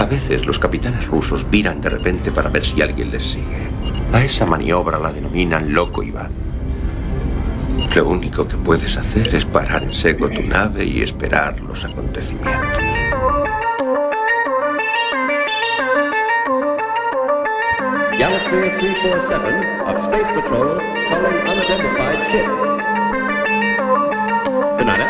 A veces los capitanes rusos viran de repente para ver si alguien les sigue. A esa maniobra la denominan loco Iván. Lo único que puedes hacer es parar en seco tu nave y esperar los acontecimientos. Galaxy 347 of Space Patrol calling unidentified ship. Tonight,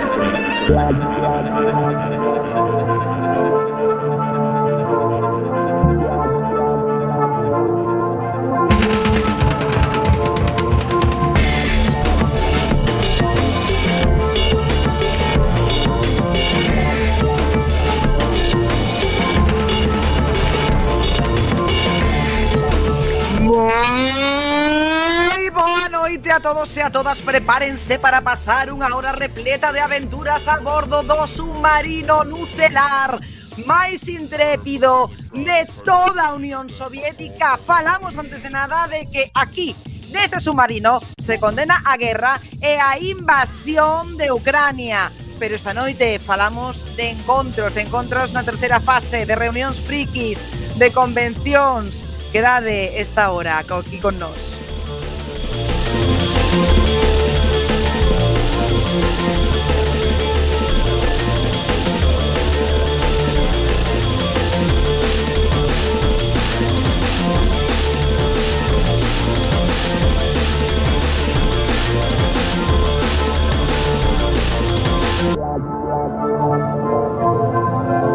A todos e a todas, prepárense para pasar unha hora repleta de aventuras a bordo do submarino nucelar máis intrépido de toda a Unión Soviética. Falamos antes de nada de que aquí, neste submarino, se condena a guerra e a invasión de Ucrania. Pero esta noite falamos de encontros na terceira fase, de reunións frikis, de convencións. Quedade esta hora aquí con nós.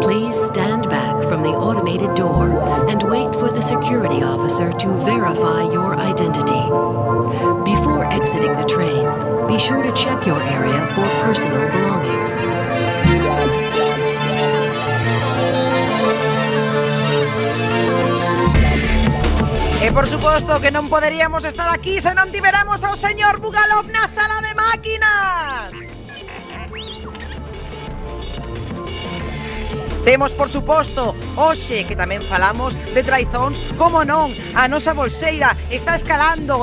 Please stand back from the automated door and wait for the security officer to verify your identity. Before exiting the train, be sure to check your area for personal belongings. E por suposto que non poderíamos estar aquí se non tiveramos ao señor Bugalov na sala de máquinas. Temos, por suposto, hoxe que tamén falamos de traizóns, como non, a nosa bolseira está escalando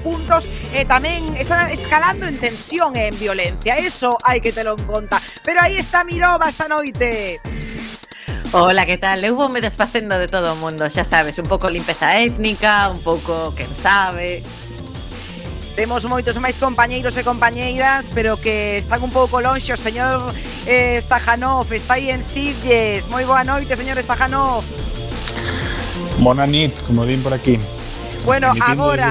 puntos e tamén está escalando en tensión e en violencia. Eso hai que telo en conta. Pero aí está Mirova esta noite. Hola, que tal? Eu voume desfacendo de todo o mundo, xa sabes, un pouco limpeza étnica, un pouco quen sabe. Temos moitos máis compañeiros e compañeiras, pero que están un pouco lonxe. O señor Stajanov está aí en Sitges. Moi boa noite, señor Stajanov. Bona nit, como din por aquí. Bueno, agora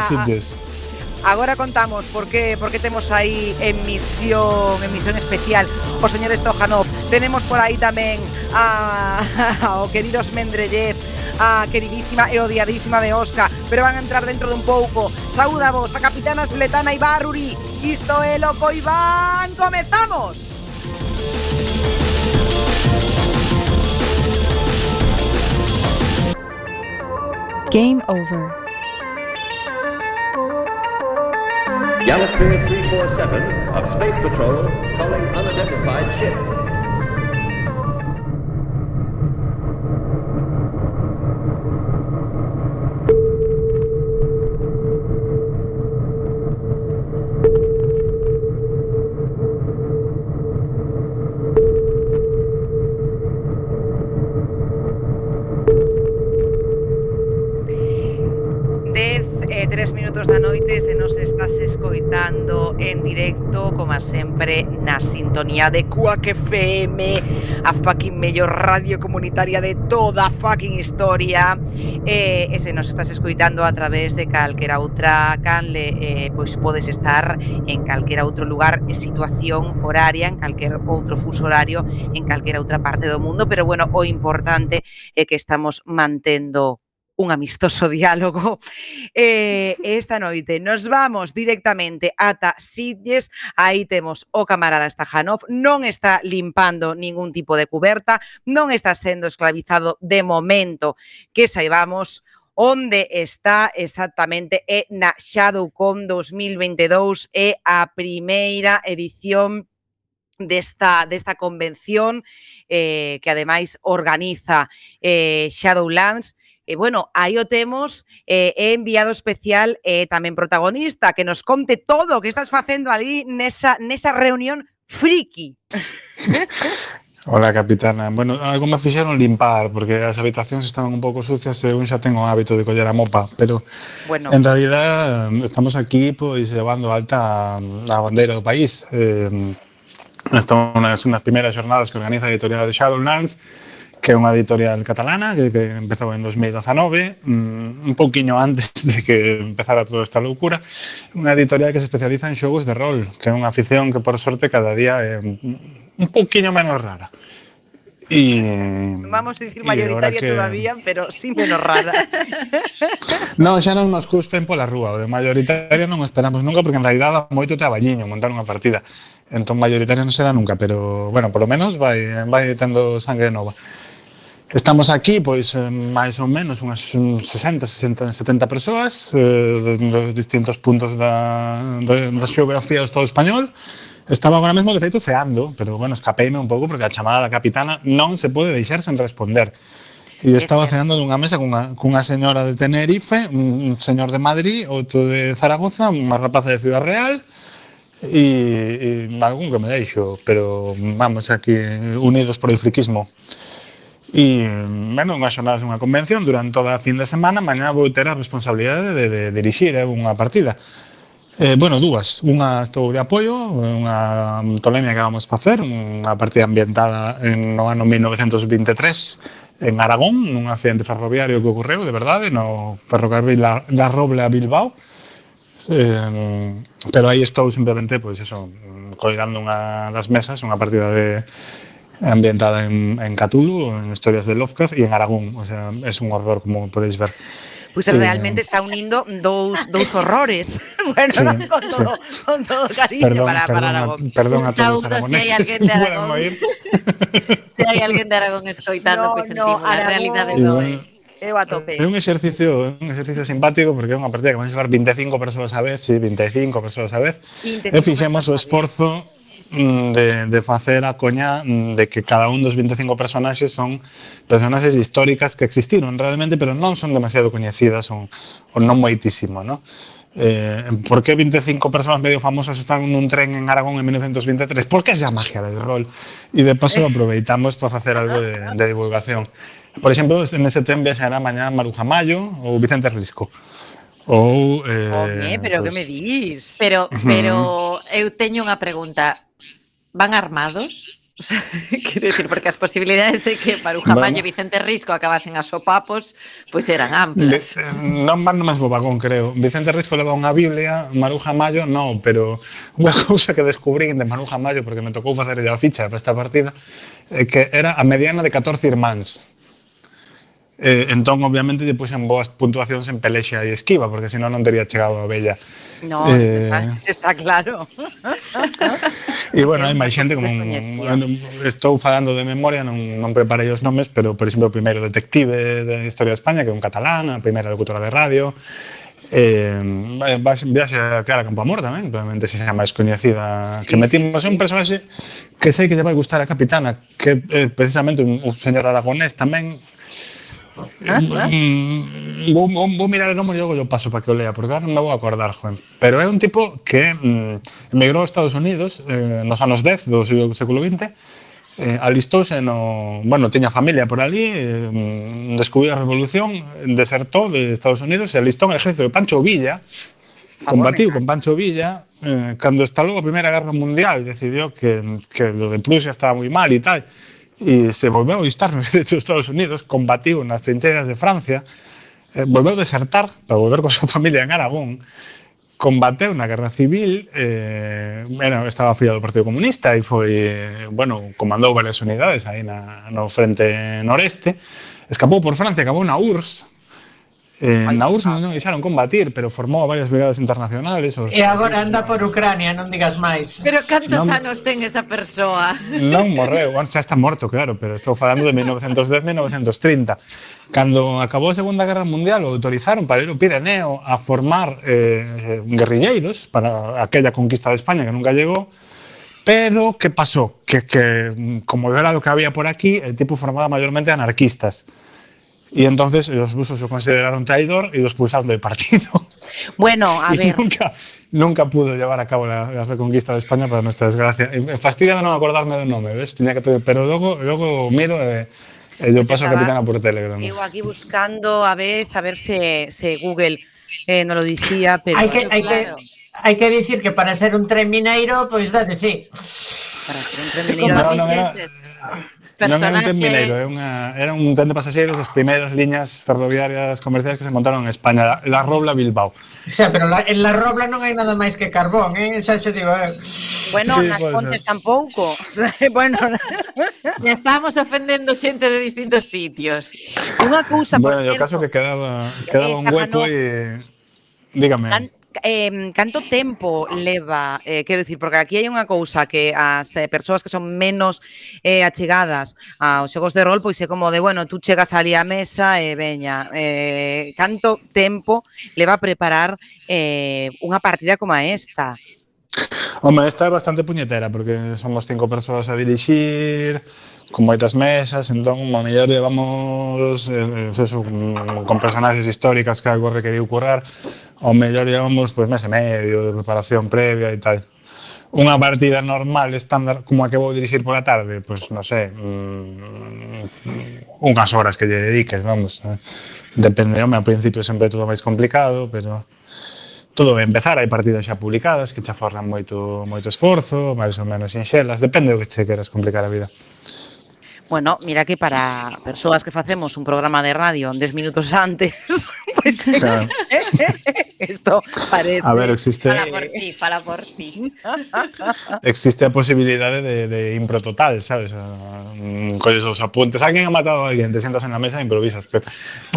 contamos por que temos aí emisión especial o señor Stajanov. Tenemos por aí tamén ao queridos Mendeleev, a queridísima e odiadísima de Oscar, pero van a entrar dentro de un pouco. Saúda vos, a capitana Svetlana Ibarruri. Isto é Loco Iván. Comezamos. Game over. Galaxy 347 of Space Patrol calling unidentified ship. Da noite, se nos estás escoitando en directo, como sempre, na sintonía de Quack FM, a fucking mellor radio comunitaria de toda a fucking historia, e se nos estás escoitando a través de calquera outra canle, pois podes estar en calquera outro lugar e situación horaria, en calquer outro fuso horario, en calquera outra parte do mundo, pero bueno, o importante é que estamos mantendo un amistoso diálogo. Esta noite nos vamos directamente ata Sitges. Aí temos o camarada Stajanov, non está limpando ningún tipo de cuberta, non está sendo esclavizado de momento, que saibamos onde está exactamente, é na ShadowCon 2022, é a primeira edición desta convención que ademais organiza Shadowlands. E bueno, aí o temos, enviado especial e tamén protagonista, que nos conte todo o que estás facendo ali nesa reunión friki. Hola, capitana. Bueno, algo me fixeron limpar, porque as habitacións estaban un pouco sucias e un xa ten o hábito de coller a mopa, pero Bueno, en realidad estamos aquí pois levando alta a bandeira do país. Estamos nas primeiras xornadas que organiza a editorial de Shadowlands, que é unha editorial catalana que empezou en 2019, un pouquiño antes de que empezara toda esta loucura, unha editorial que se especializa en xogos de rol, que é unha afición que por sorte cada día é un pouquiño menos rara. vamos a decir E ahora mayoritaria que... todavía, pero sí menos rara. Non, xa non nos cuspen pola rúa, o de mayoritaria non o esperamos nunca, porque en realidad dá moito traballiño montar unha partida. Entón mayoritaria non será nunca, pero, bueno, polo menos vai tendo sangue nova. Estamos aquí, pois, máis ou menos unhas 60, 60, 70 persoas dos distintos puntos da xeografía do Estado español. Estaba agora mesmo, de feito, ceando, pero, bueno, escapeime un pouco porque a chamada da capitana non se pode deixar sen responder. E estaba ceando nunha mesa cunha señora de Tenerife, un señor de Madrid, outro de Zaragoza, unha rapaza de Ciudad Real e algún que me deixo, pero vamos aquí unidos por el friquismo. E, bueno, unhas xornadas unha convención durante toda a fin de semana, mañá vou ter a responsabilidade de dirixir unha partida. Bueno, dúas. Unha estou de apoio, unha tolemia que vamos facer, unha partida ambientada no ano 1923 en Aragón, nun accidente ferroviario que ocorreu, de verdade, no ferrocarril da Robla a Bilbao. Pero aí estou simplemente, pois eso, coidando unha das mesas, unha partida ambientada en Cthulhu, en historias de Lovecraft e en Aragón. O sea, es un horror, como podéis ver. Pues realmente está unindo dous horrores. Bueno, sí, no, con todo cariño para Aragón. Perdón a todos los aragoneses. Si hai alguén de Aragón, se hai alguén de Aragón escoitando, pois sentimos a realidade doe. Eu a tope. É un exercicio simpático porque é unha partida que van xogar 25 persoas a vez, sí, 25 persoas a vez. E fixemos o esforzo de facer a coña de que cada un dos 25 personaxes son personaxes históricas que existiron realmente, pero non son demasiado coñecidas ou non moitísimo, ¿no? ¿Por qué 25 personas medio famosas están nun tren en Aragón en 1923? Porque é a magia del rol. E de paso aproveitamos para facer algo de divulgación. Por exemplo, nese tren viaxará mañá Maruja Mayo ou Vicente Risco. Ou, pero pues, que me dis? Pero eu teño unha pregunta. Van armados? O sea, quero dicir, porque as posibilidades de que Maruja Mayo e Vicente Risco acabasen a sopapos, pois eran amplas. Non van no mesmo vagón, creo. Vicente Risco leva unha Biblia, Maruja Mayo non, pero unha cousa que descubrín de Maruja Mayo, porque me tocou facer a ficha para esta partida, que era a mediana de 14 irmáns. Entón, obviamente, lle puxen boas puntuacións en pelexa e esquiva, porque senón non teria chegado a Bella. No, está claro. E, bueno, hai máis xente, como estou falando de memoria, non preparei os nomes, pero, por exemplo, o primeiro detective da historia de España, que é un catalán, a primeira locutora de radio, viaxe a Clara Campoamor tamén, probablemente se xa máis coñecida, que metimos un personaxe que sei que lle vai gustar a capitana, que é precisamente un señor aragonés tamén. Vou mirar o nome e logo yo paso para que o lea, porque ahora non me vou acordar, joven. Pero é un tipo que emigrou aos Estados Unidos nos anos 10 do século XX, alistouse bueno, tiña familia por ali, descubriu a revolución, desertou de Estados Unidos e alistou en el ejército de Pancho Villa, combatiu con Pancho Villa, cando estalou a Primeira Guerra Mundial, decidiu que lo de Prusia estaba moi mal e tal, e se volveu a alistar nos ejércitos dos Estados Unidos, combatiu nas trincheiras de Francia, volveu a desertar para volver con a súa familia en Aragón, combateu na Guerra Civil, estaba afiliado ao Partido Comunista e foi, bueno, comandou varias unidades aí no frente noreste, escapou por Francia, acabou na URSS. Na URSS non deixaron combatir, pero formou varias brigadas internacionales. E agora anda por Ucrania, non digas máis. Pero cantos anos ten esa persoa? Non morreu, xa está morto, claro, pero estou falando de 1910-1930. Cando acabou a Segunda Guerra Mundial, o autorizaron para ir ao Pirineo a formar guerrilleiros para aquella conquista de España que nunca llegou. Pero, que pasou? Que como era lo que había por aquí, el tipo formaba mayormente anarquistas. Y entonces los rusos lo consideraron traidor y lo expulsaron del partido. Bueno, a Y ver. nunca pudo llevar a cabo la reconquista de España, para nuestra desgracia. Fastidia non acordarme do nome, ves? Pero logo miro e yo Pues paso a estaba capitana por Telegram. eu aquí buscando a ver se Google no lo dicía, pero Claro. Hai que dicir que para ser un tren mineiro, pois date sí. para ser un tren Como mineiro Non era un tren mineiro, era un tren de pasaxeiros das primeiras liñas ferroviarias comerciais que se montaron en España, la Robla Bilbao. O sea, pero en la Robla non hai nada máis que carbón, xa xo digo. Bueno, Sí, nas pode Pontes ser. tampouco. Bueno, Ya estábamos ofendendo xente de distintos sitios. unha cousa, por Bueno, e o caso certo, que quedaba un hueco Estefanov, e... Dígame. canto tempo leva, quero dicir, porque aquí hai unha cousa que as persoas que son menos achegadas aos xogos de rol, pois é como de, bueno, tú chegas ali á mesa e veña, canto tempo leva a preparar unha partida como esta? Home, esta é bastante puñetera, porque somos 5 persoas a dirixir, con moitas mesas, entón, a mellor llevamos con personaxes históricas que algo requeriu currar, ao mellor llevamos pues, mes e medio de preparación previa e tal. Unha partida normal, estándar, como a que vou dirixir pola tarde, pois, non sei, unhas horas que lle dediques, vamos. Depende, home, ao principio sempre é todo máis complicado, pero todo vai empezar, hai partidas xa publicadas que xa forran moito esforzo, máis ou menos sinxelas, depende do que che queras complicar a vida. Bueno, mira que para persoas que facemos un programa de radio 10 minutos antes, pues, Claro. esto parece... A ver, Fala por ti. existe a posibilidade de impro total, sabes? Colles os apuntes, alguén ha matado a alguén, te sientas en la mesa e improvisas, pero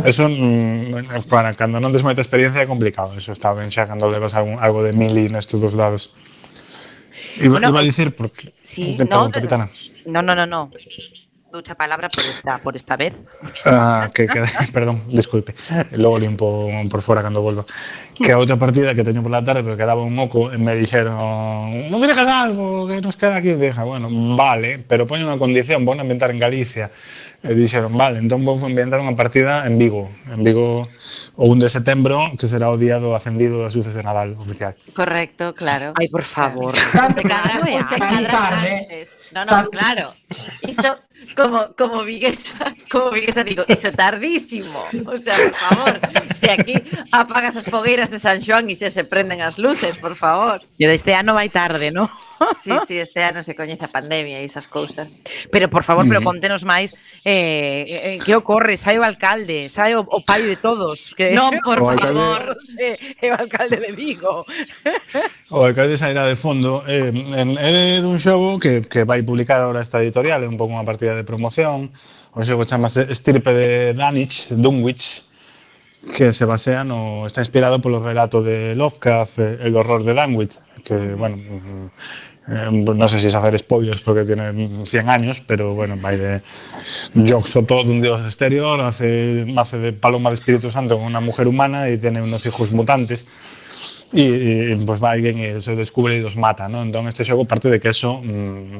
eso para cando non tes moita experiencia é complicado, eso está ben xa cando levas algo de mili nestes dos lados. Iba a dicir porque... Sí, Perdón, capitana. No. Ducha palabra por esta vez. Perdón, disculpe. Logo limpo por fora cando volvo. Que a outra partida que teño pola tarde, porque quedaba un oco e me dixeron non dirijas algo que nos queda aquí. E dije, bueno, vale, pero poño unha condición, vou ambientar en Galicia. E dixeron, vale, entón vou ambientar unha partida en Vigo o 1 de setembro, que será o día do acendido das luces de Nadal oficial. Correcto, claro. Ai, por favor. Se cadra antes. No, claro. Iso como viguesa digo, iso tardísimo. O sea, por favor, se aquí apagas as fogueiras de San Xoán e se prenden as luces, por favor. Yo este ano vai tarde, ¿no? Sí, este ano se coñece a pandemia e esas cousas. Pero, por favor, pero contenos máis que ocorre, sai o alcalde, sai o pai de todos. Que... Non, por favor. É o alcalde de Vigo. O alcalde sairá de fondo. É dun xogo que vai publicar ahora esta editorial, é un pouco unha partida de promoción. O xogo chamase Estirpe de Dunwich, que se basea está inspirado polo relato de Lovecraft, El horror de Dunwich, que, bueno, non sei se hacer spoilers porque tiene 100 años, pero, bueno, vai de Yog-Sothoth, un dios exterior, hace de paloma de Espíritu Santo con una mujer humana y tiene unos hijos mutantes. Y pues va alguén e se descubre e los mata, ¿no? Entón este xogo parte de que eso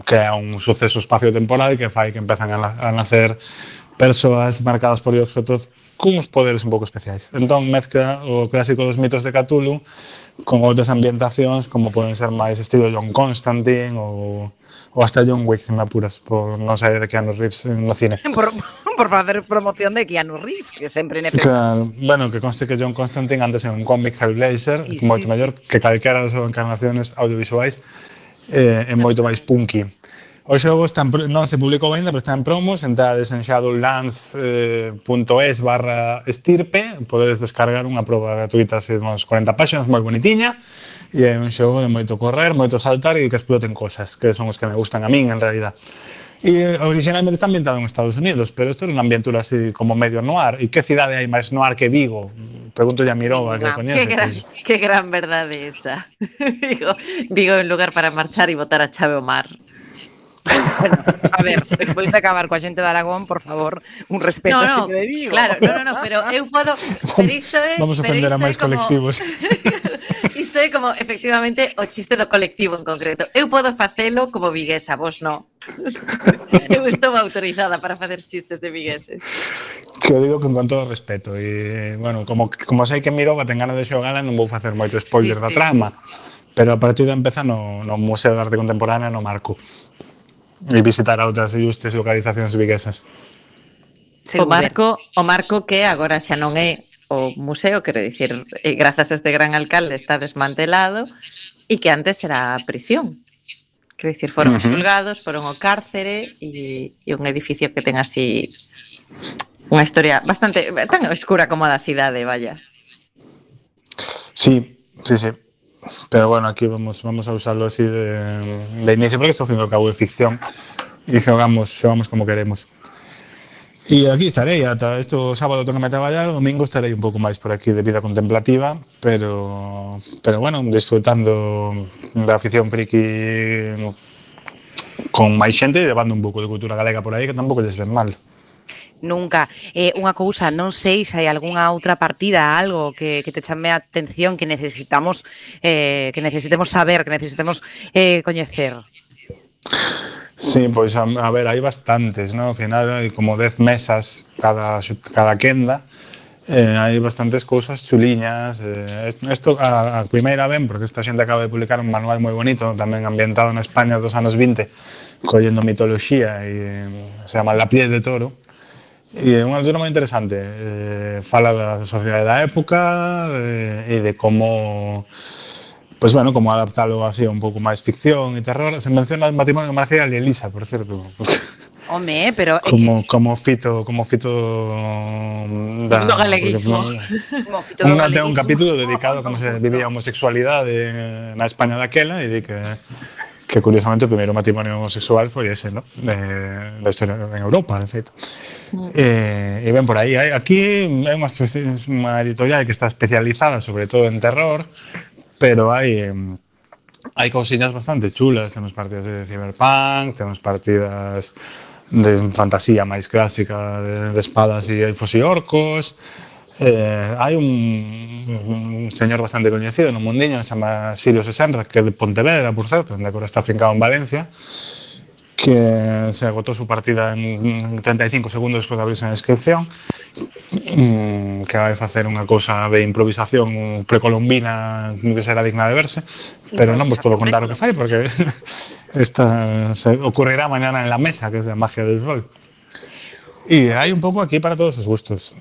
crea un suceso espacio-temporal que fai que empezan a nacer persoas marcadas por Yog-Sothoth con uns poderes un pouco especiais. Entón mezcla o clásico dos mitos de Cthulhu con outras ambientacións como poden ser máis estilo John Constantine ou hasta John Wick, se me apuras, por non sair de Keanu Reeves no cine. Por facer promoción de Keanu Reeves, que sempre Claro, bueno, que conste que John Constantine antes era un cómic Hellblazer, moito mellor que calquera das súas encarnaciones audiovisuais, é moito máis punky. O xogo non se publicou ainda, pero está en promos, entrades en shadowlands.es/estirpe, podedes descargar unha proba gratuita de uns 40 páxinas, moi bonitiña, e é un xogo de moito correr, moito saltar e que exploten cosas, que son os que me gustan a min, en realidad. E originalmente está ambientado en Estados Unidos, pero isto é unha aventura así como medio noir. E que cidade hai máis noir que Vigo? Pregunto a Mirova, que coñece. Que gran verdade esa. Vigo é un lugar para marchar e botar a chave ao mar. Bueno, a ver, despois de acabar coa xente de Aragón, por favor, un respeto a xente de Vigo. Claro, no, pero eu podo, pero isto é, Vamos a ofender a máis colectivos. Isto é como efectivamente o chiste do colectivo en concreto. Eu podo facelo como viguesa, vos non. Eu estou autorizada para facer chistes de vigueses. Que eu digo con todo respeto e, bueno, como sei que Mirova ten ganas de xogala, non vou facer moito spoiler da trama, pero a partir de empezar no Museo de Arte Contemporánea no Marco e visitar a outras ilustres localizacións viguesas. O Marco que agora xa non é o museo, quero dicir, grazas a este gran alcalde está desmantelado e que antes era a prisión. Quero dicir, foron os xulgados, foron o cárcere e un edificio que ten así unha historia bastante tan oscura como a da cidade, vaya. Sí. Pero bueno, aquí vamos a usarlo así de inicio, porque isto, ao fin e ao cabo, é ficción e xogamos como queremos. E aquí estarei, ata isto sábado tengo que traballar, domingo estarei un pouco máis por aquí de vida contemplativa, pero bueno, disfrutando da afición friki con máis xente e levando un pouco de cultura galega por aí, que tampouco lles ven mal. Nunca. Unha cousa, non sei se hai algunha outra partida, algo que te chame a atención, que necesitemos saber, que necesitemos coñecer. Sí, pois a ver, hai bastantes, ¿no? Ao final hai como 10 mesas cada quenda, hai bastantes cousas chuliñas. Isto a primeira ben, porque esta xente acaba de publicar un manual moi bonito, tamén ambientado na España dos anos 20, collendo mitoloxía, e se chama La piel de toro, e é unha lectura moi interesante. Fala da sociedade da época e de como... Pois bueno, como adaptalo así a un pouco máis ficción e terror. Se menciona o matrimonio de Marcial e Elisa, por certo. Home, pero... Como fito do galeguismo. Ten un capítulo dedicado a como se vivía a homosexualidade na España daquela e di que curiosamente o primeiro matrimonio homosexual foi ese, ¿no? Da historia en Europa, de feito. E ben por aí. Aquí é unha editorial que está especializada sobre todo en terror, pero hai cousiñas bastante chulas. Temos partidas de cyberpunk, temos partidas de fantasía máis clásica de espadas e elfos e orcos. Hai un señor bastante coñecido no mundiño, se chama Sirio Sesenra, que é de Pontevedra, por certo, onde agora está afincado en Valencia, que se agotó su partida en 35 segundos despois de abrirse a inscripción, que vai facer unha cousa de improvisación precolombina que será digna de verse, pero non vos podo contar o que sai, porque esta se ocurrirá mañana en la mesa, que é a magia del rol. E hai un pouco aquí para todos os gustos.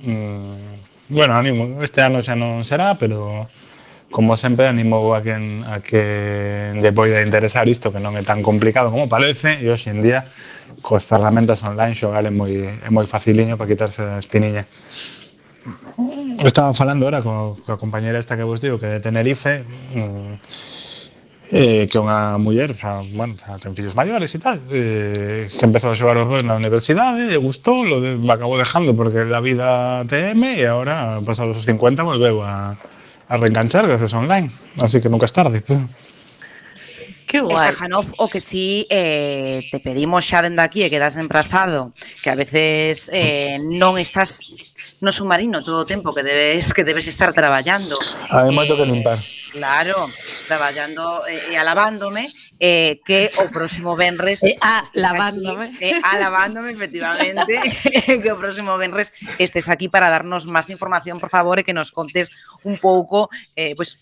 Bueno, animo, este ano xa non será, pero como sempre animo a quen lle poida interesar isto, que non é tan complicado como parece, e hoxe en día coas ferramentas online xogar é moi faciliño para quitarse a espiniña. Estaba falando ahora coa compañera esta que vos digo, que é de Tenerife, que é unha muller, xa ten fillos maiores e tal, que empezou a xogar o rol na universidade, e gustou, lo acabou dejando porque la vida TM, e agora, pasados os 50, volveu a reenganchar gracias online, así que nunca es tarde. Que guai. Stajanov, o que sí te pedimos xa dende aquí e quedas emprazado, que a veces non estás no submarino todo o tempo que debes estar traballando. Hai moito que limpar. Claro, traballando e alabándome, que o próximo venres... Lavándome. Alabándome, efectivamente, que o próximo venres estés aquí para darnos máis información, por favor, e que nos contes un pouco, pues,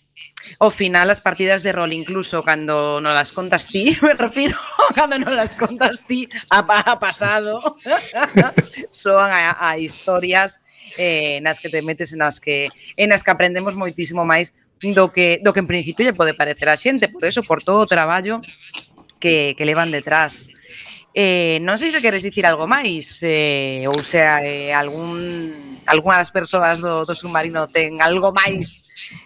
ao final as partidas de rol, incluso cando non las contas ti, me refiro, cando non las contas ti a pasado, soan a historias nas que te metes, nas que aprendemos moitísimo máis do que en principio lle pode parecer a xente, por eso, por todo o traballo que levan detrás. Non sei se queres dicir algo máis, ou sea, algunha das persoas do submarino ten algo máis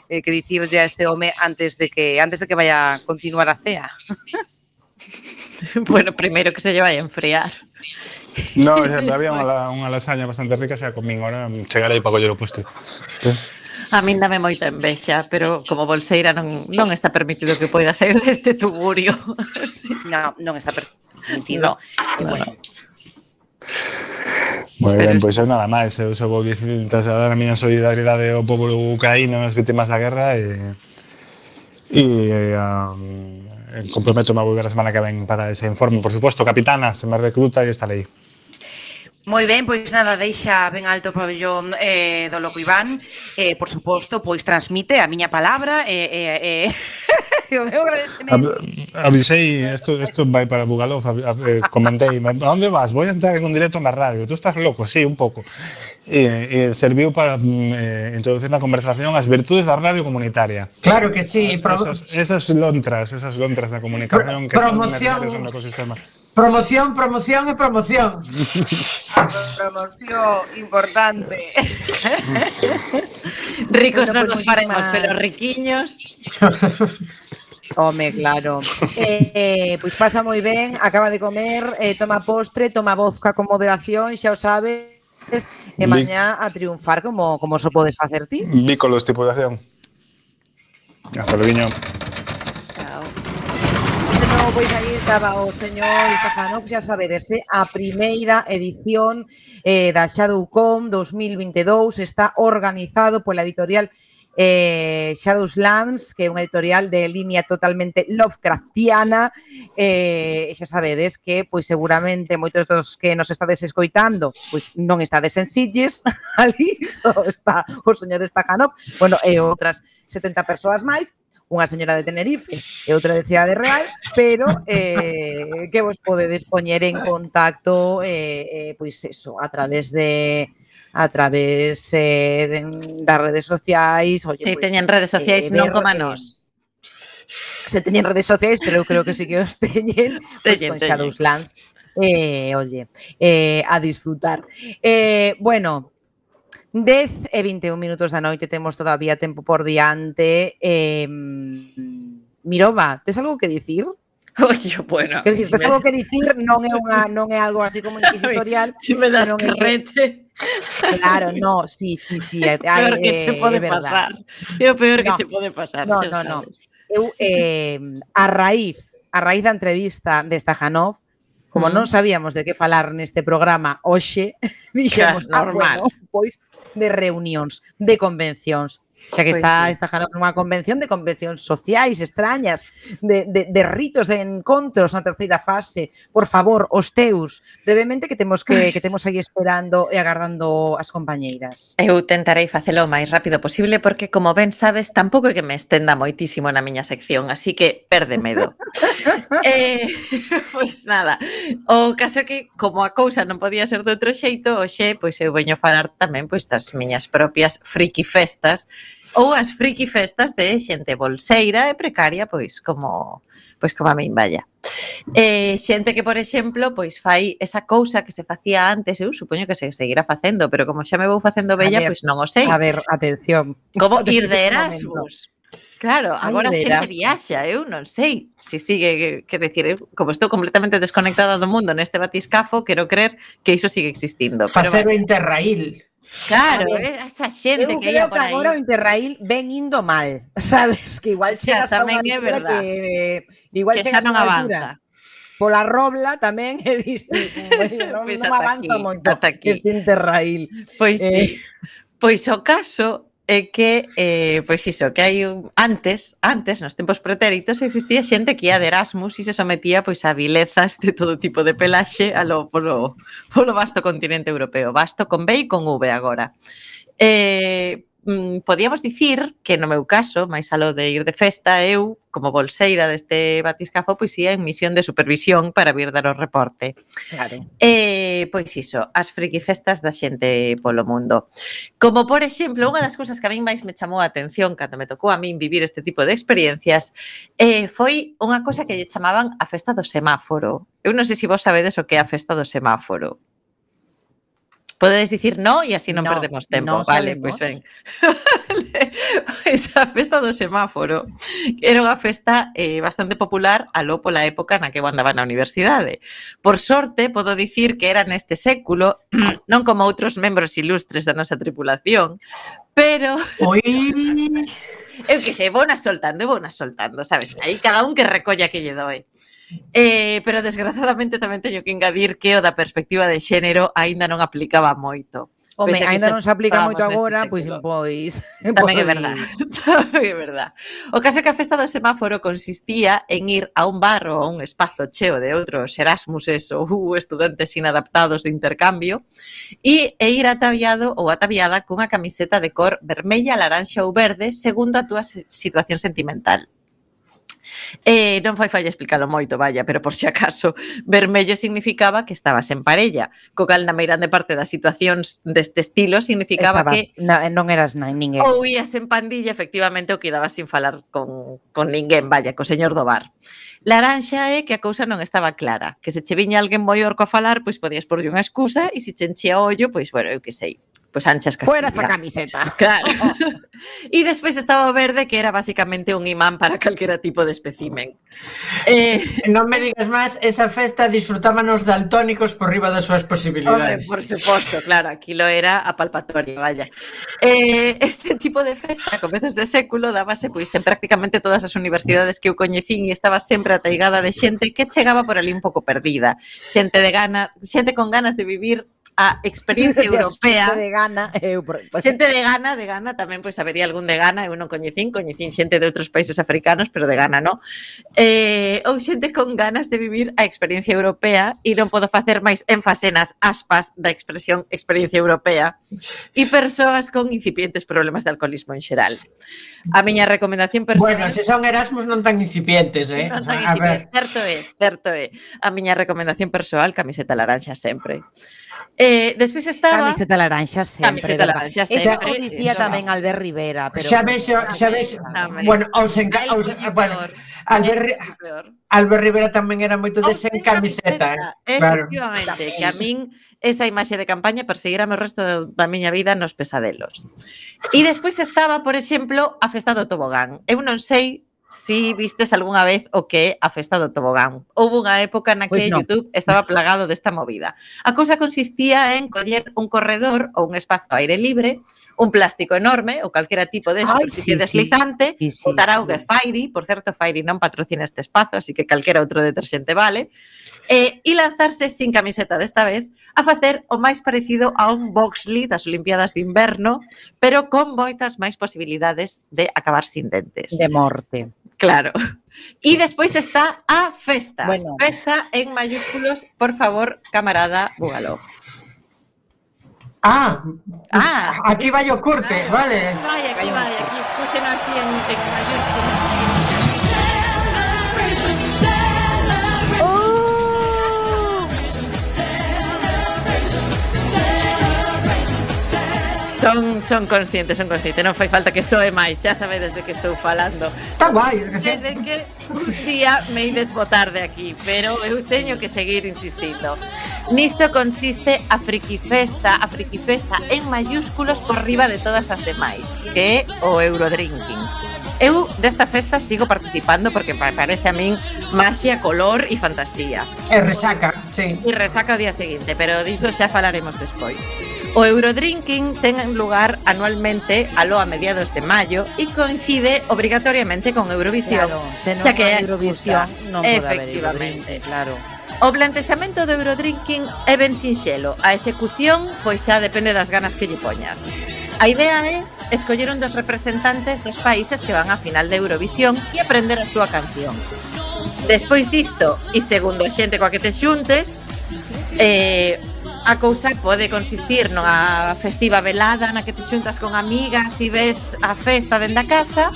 que dicirlle a este home antes de que vaya a continuar a cea. Bueno, primeiro que se lle vai a enfriar. No, xa había unha lasaña bastante rica, xa comín, ahora chegarei para coller o postre. A min dame moita envexa, pero como bolseira non está permitido que poida sair deste tugurio. Sí. Non está Nítido. Bueno. Moi Pero ben, pois eu nada máis. Eu só vou dicir trasladar a miña solidariedade ao pobo ucraíno, as vítimas da guerra comprometo-me a volver a semana que ven para ese informe. Por suposto, capitana, se me recruta e estarei. Moi ben, pois nada, deixa ben alto o pabellón do Loco Iván. Por suposto, pois transmite a miña palabra o meu agradecemento. Avisei, isto vai para Bugalov, comentei, a onde vas? Voy a entrar en un directo na radio. Tú estás loco? Sí, un pouco. E serviu para introducir na conversación as virtudes da radio comunitaria. Claro que sí. Esas lontras da comunicación que son necesarias no ecosistema. Promoción e promoción. Promoción importante. Ricos Bueno, non pues nos faremos, muchísimas- pero riquiños. Home, claro. Pois pasa moi ben, acaba de comer, toma postre, toma vodka con moderación, xa o sabes, e mañá a triunfar como só podes facer ti. Vícolo, estipulación. Hasta luego. No, pois aí estaba o señor Izajanov, xa sabedes, a primeira edición da Shadowcon 2022 está organizado pola editorial Shadowlands, que é unha editorial de línea totalmente Lovecraftiana, xa sabedes que pois seguramente moitos dos que nos estades escoitando pois non estades en Sitges, ali só está o señor Izajanov, bueno, e outras 70 persoas máis, unha señora de Tenerife e outra de Cidade Real, pero que vos podedes poñer en contacto pois eso, a través das redes sociais. Oye, Si pois, teñen redes sociais, non como nós. Se teñen redes sociais, pero eu creo que sí que os teñen, pois con Shadowlands. Oye, a disfrutar. Bueno, 10 e 21 minutos da noite, temos todavía tempo por diante. Miroba, tes algo que dicir? Oye, bueno. Quer dicir, tes algo que dicir, non é algo así como inquisitorial. Si me das carrete. Claro, no, sí. Peor que che pode pasar. É o peor que che pode pasar. No. Eu, a raíz da entrevista de Stajanov, como non sabíamos de que falar neste programa hoxe, dixemos, normal. Bueno, pois de reunións, de convencións. Xa que Pois está sí. nunha convención de convencións sociais extrañas, de ritos de encontros na terceira fase. Por favor, os teus, brevemente, que temos aí esperando e agardando as compañeiras. Eu tentarei facelo o máis rápido posible porque, como ben sabes, tampouco é que me estenda moitísimo na miña sección, así que perde medo. Pois nada, o caso é que, como a cousa non podía ser de outro xeito, hoxe pois eu veño falar tamén pois das miñas propias friki festas ou as friki festas de xente bolseira e precaria, pois como a min, vaya. Xente que, por exemplo, pois fai esa cousa que se facía antes, eu supoño que se seguirá facendo, pero como xa me vou facendo bella, pois non o sei. A ver, atención. Como ir de Erasmus. Claro, agora de xente Erasmus. viaxa, eu non sei se sigue, quer decir, eu, como estou completamente desconectada do mundo neste batiscafo, quero creer que iso sigue existindo. Facer o Interrail. Claro, A ver, esa xente Eu que ia creo por que aí. agora o Interrail ven indo mal, sabes? Que igual Xa, chegas a tamén unha é altura verdad. igual Que chegas xa non a unha altura. avanza. Pola Robla tamén he visto, non, Pois non ata avanza aquí, moito ata aquí. este Interrail. Pois sí. Pois o caso é que, pois iso, que hai antes, nos tempos pretéritos, existía xente que ia de Erasmus e se sometía pois a vilezas de todo tipo de pelaxe polo vasto continente europeo. Vasto con B e con V agora. Podíamos dicir que no meu caso, máis aló de ir de festa, eu, como bolseira deste batiscafo, pois ia en misión de supervisión para vir dar o reporte. Claro. Pois iso, as friki festas da xente polo mundo. Como, por exemplo, unha das cousas que a min máis me chamou a atención cando me tocou a min vivir este tipo de experiencias foi unha cosa que lle chamaban a festa do semáforo. Eu non sei se vos sabedes o que é a festa do semáforo. Podedes dicir no e así non perdemos tempo. non Vale, sabemos. pois ben. Pois a festa do semáforo era unha festa bastante popular aló pola época na que eu andaba na universidade. Por sorte, podo dicir que era neste século, non como outros membros ilustres da nosa tripulación, pero Oi, eu que sei, vou nas soltando, sabes? Aí cada un que recolla que lle doe. Pero desgraciadamente tamén teño que engadir que o da perspectiva de xénero aínda non aplicaba moito. Home, Pese a que ainda xa non se aplica moito estábamos agora, neste pois século. Tamén é verdade. Tamén é verdade. O caso é que a festa do semáforo consistía en ir a un bar ou a un espazo cheo de outros Erasmuses ou estudantes inadaptados de intercambio e ir ataviado ou ataviada cunha camiseta de cor vermella, laranxa ou verde segundo a túa situación sentimental. Non fai falla explicalo moito, vaya, pero por si acaso, vermello significaba que estabas en parella, co cal na meirande parte das situacións deste estilo significaba que non eras ninguén. Ou ías en pandilla, efectivamente, ou quedabas sin falar con ninguén, vaya, co señor do bar. Laranxa é que a cousa non estaba clara, que se che viña alguén moi orco a falar, pois podías porlle unha excusa e se che enchía o ollo, pois, bueno, eu que sei, pois anchas Castilla. Fuera esta camiseta. Claro. E despois estaba o verde, que era basicamente un imán para calquera tipo de espécimen. Non me digas máis, esa festa disfrutábanos daltónicos por riba das súas posibilidades. Hombre, por suposto, claro, aquilo era a palpatoria, vaya. Este tipo de festa, a comezos de século, dábase pois en prácticamente todas as universidades que eu coñecín e estaba sempre ataigada de xente que chegaba por ali un pouco perdida. Xente con ganas de vivir a experiencia europea. Xente de gana. Xente de Ghana tamén, pois habería algún de Ghana, eu non coñecín xente de outros países africanos, pero de Ghana non. Ou xente con ganas de vivir a experiencia europea, e non podo facer máis énfase nas aspas da expresión experiencia europea, e persoas con incipientes problemas de alcoholismo en xeral. A miña recomendación personal... Bueno, se son Erasmus non tan incipientes, Non tan incipientes, certo é. A miña recomendación persoal, camiseta laranxa sempre. Despois estaba... Camiseta laranxa sempre. Camiseta laranxa sempre. Eso dicía tamén Albert Rivera. Pero xa ves, bueno, Albert Rivera tamén era moito de sen camiseta. Efectivamente, que a min esa imaxe de campaña perseguirame o resto da miña vida nos pesadelos. E despois estaba, por exemplo, a festa do tobogán. Eu non sei si vistes algunha vez o que é a festa do tobogán. Houve unha época na que YouTube estaba plagado desta movida. A cousa consistía en coller un corredor ou un espazo aire libre, un plástico enorme ou calquera tipo de superficie deslizante, o taraugue Fairy, por certo, Fairy non patrocina este espazo, así que calquera outro deterxente vale, e lanzarse sin camiseta desta vez a facer o máis parecido a un boxley das Olimpiadas de Inverno, pero con moitas máis posibilidades de acabar sin dentes. De morte. Claro. E despois está a festa. Bueno. Festa en mayúsculos, por favor, camarada Bugaló. Aquí vai o curte, vale. Aquí. Puxen así en mayúsculos. Son conscientes, non fai falta que soe máis, xa sabedes de que estou falando. Está guai, de que un día me ides botar de aquí, pero eu teño que seguir insistindo. Nisto consiste a friki festa en mayúsculos por riba de todas as demais, que é o Eurodrinking. Eu desta festa sigo participando porque me parece a min maxia, color e fantasía. E resaca, sí. E resaca o día seguinte, pero diso xa falaremos despois. O Eurodrinking ten lugar anualmente aló a mediados de maio e coincide obrigatoriamente con Eurovisión. Claro, se non xa que é a Eurovisión non pode haber efectivamente, claro. O plantexamento do Eurodrinking é ben sinxelo. A execución, pois xa depende das ganas que lle poñas. A idea é escoller un dos representantes dos países que van á final de Eurovisión e aprender a súa canción. Despois disto, e segundo a xente coa que te xuntes, a cousa pode consistir nunha festiva velada na que te xuntas con amigas e ves a festa dende a casa,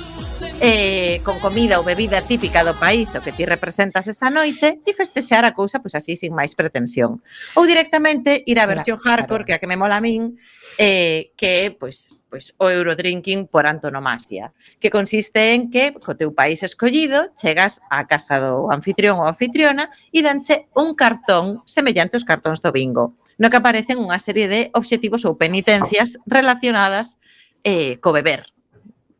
con comida ou bebida típica do país o que ti representas esa noite e festexar a cousa pois así sin máis pretensión. Ou directamente ir á versión hardcore, que a que me mola a min, que é pois o Eurodrinking por antonomasia, que consiste en que co teu país escollido chegas á casa do anfitrión ou anfitriona e danche un cartón semellante aos cartóns do bingo, no que aparecen unha serie de obxectivos ou penitencias relacionadas co beber,